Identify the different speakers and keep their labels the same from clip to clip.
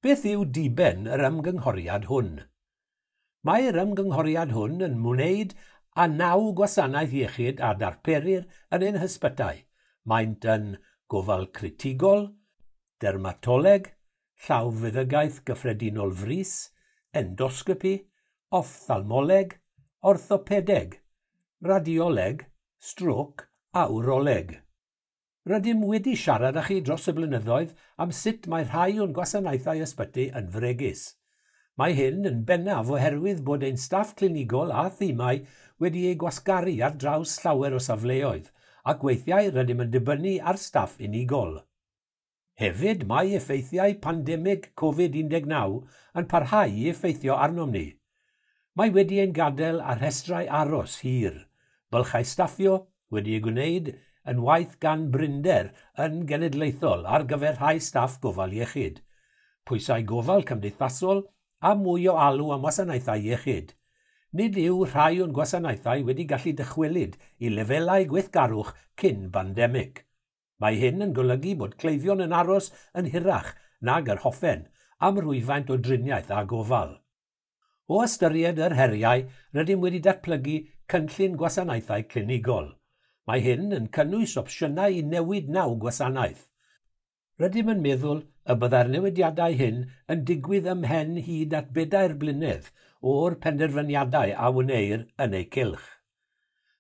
Speaker 1: Beth yw diben yr ymgynghoriad hwn? Mae'r ymgynghoriad hwn yn wneud â 9 gwasanaeth iechyd a darperir yn ein hysbytai. Maent yn gofal critigol, dermatoleg, llawfeddygaeth gyffredinol frys, endosgopi, offthalmoleg, orthopedeg, radioleg, strôc a wroleg. Rydym wedi siarad â chi dros y blynyddoedd am sut mae rhai o'n gwasanaethau ysbyty yn fregus. Mae hyn yn bennaf oherwydd bod ein staff clinigol a thimau wedi eu gwasgaru ar draws llawer o safleoedd, ac weithiau rydym yn dibynnu ar staff unigol. Hefyd, mae effeithiau pandemig Covid-19 yn parhau i effeithio arnom ni. Mae wedi ein gadael ar rhestrau aros hir, bylchau staffio wedi eu gwneud yn waith gan brinder yn genedlaethol ar gyfer rhai staff gofal iechyd, pwysau gofal cymdeithasol a mwy o alw am wasanaethau iechyd. Nid yw rhai o'n gwasanaethau wedi gallu dychwelyd i lefelau gweithgarwch cyn bandemig. Mae hyn yn golygu bod cleifion yn aros yn hirach nag yr hoffen am rwyfaint o driniaeth a gofal. O ystyried yr heriau, rydym wedi datblygu cynllun gwasanaethau clinigol. Mae hyn yn cynnwys opsiynau i newid 9 gwasanaeth. Rydym yn meddwl y byddai'r newidiadau hyn yn digwydd ymhen hyd at 4 blynedd o'r penderfyniadau a wneir yn eu cylch.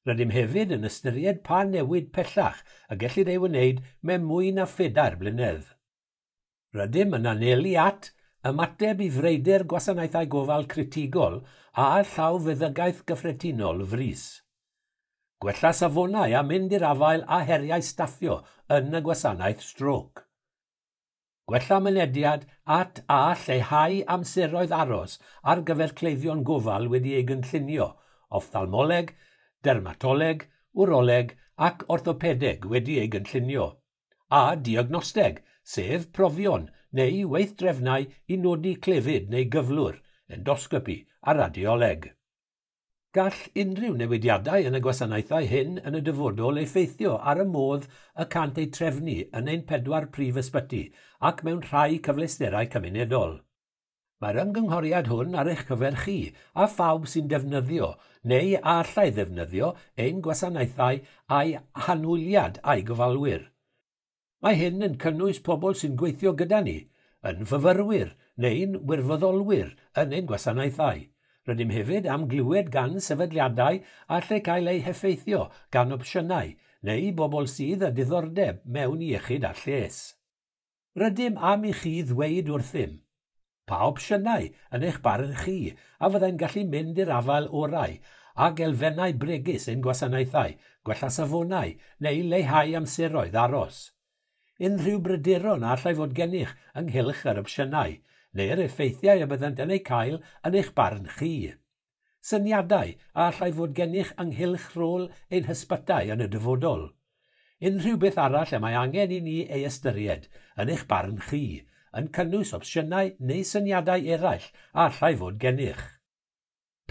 Speaker 1: Rydym hefyd yn ystyried pa newid pellach y gellid ei wneud mewn mwy na 4 blynedd. Rydym yn anelu at ymateb i freuder gwasanaethau gofal critigol a llawfeddygaeth gyffredinol frys. Gwella safonau a mynd i'r afael a heriau staffio yn y gwasanaeth strôc. Gwella mynediad at a lleihau amseroedd aros ar gyfer cleifion gofal wedi ei gynllunio, offthalmoleg, dermatoleg, wroleg ac orthopedeg wedi ei gynllunio, a diagnosteg, sef profion neu weithdrefnau i nodi clefyd neu gyflwr, endosgopi a radioleg. Gall unrhyw newidiadau yn y gwasanaethau hyn yn y dyfodol effeithio ar y modd y cant eu trefnu yn ein 4 prif ysbyty ac mewn rhai cyfleusterau cymunedol. Mae'r ymgynghoriad hwn ar eich cyfer chi a phawb sy'n defnyddio neu a allai ddefnyddio ein gwasanaethau a'i hanwyliad a'i gofalwyr. Mae hyn yn cynnwys pobl sy'n gweithio gyda ni, yn fyfyrwyr neu'n wirfoddolwyr yn ein gwasanaethau. Rydym hefyd am glywed gan sefydliadau a lle cael eu heffeithio gan opsiynau neu bobl sydd â diddordeb mewn iechyd a lles. Rydym am i chi ddweud wrthym pa opsiynau yn eich barn chi a fyddai'n gallu mynd i'r afael orau ag elfennau bregus ein gwasanaethau, gwella safonau neu leihau amseroedd aros. Unrhyw bryderon a allai fod gennych ynghylch yr opsiynau neu'r effeithiau y byddant yn eu cael yn eich barn chi. Syniadau a allai fod gennych ynghylch rôl ein hysbytai yn y dyfodol. Unrhyw beth arall y mae angen i ni ei ystyried yn eich barn chi, yn cynnwys opsiynau neu syniadau eraill a allai fod gennych.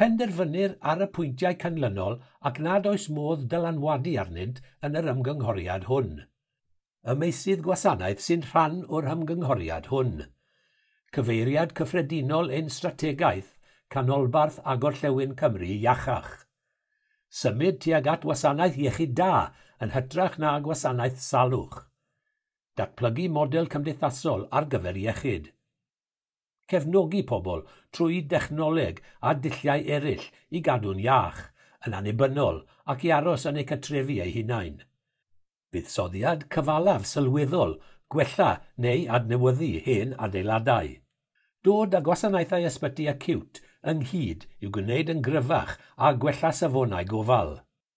Speaker 1: Penderfynir ar y pwyntiau canlynol ac nad oes modd dylanwadu arnynt yn yr ymgynghoriad hwn. Y meysydd gwasanaeth sy'n rhan o'r ymgynghoriad hwn. Cyfeiriad cyffredinol ein strategaeth, Canolbarth a Gorllewin Cymru iachach. Symud tuag at wasanaeth iechyd da yn hytrach na gwasanaeth salwch. Datblygu model cymdeithasol ar gyfer iechyd. Cefnogi pobl trwy dechnoleg a dulliau eraill i gadw'n iach, yn annibynnol ac i aros yn eu cartrefi eu hunain. Buddsoddiad cyfalaf sylweddol, gwella neu adnewyddu hen adeiladau. Dod â gwasanaethau ysbyty acute ynghyd i'w gwneud yn gryfach a gwella safonau gofal.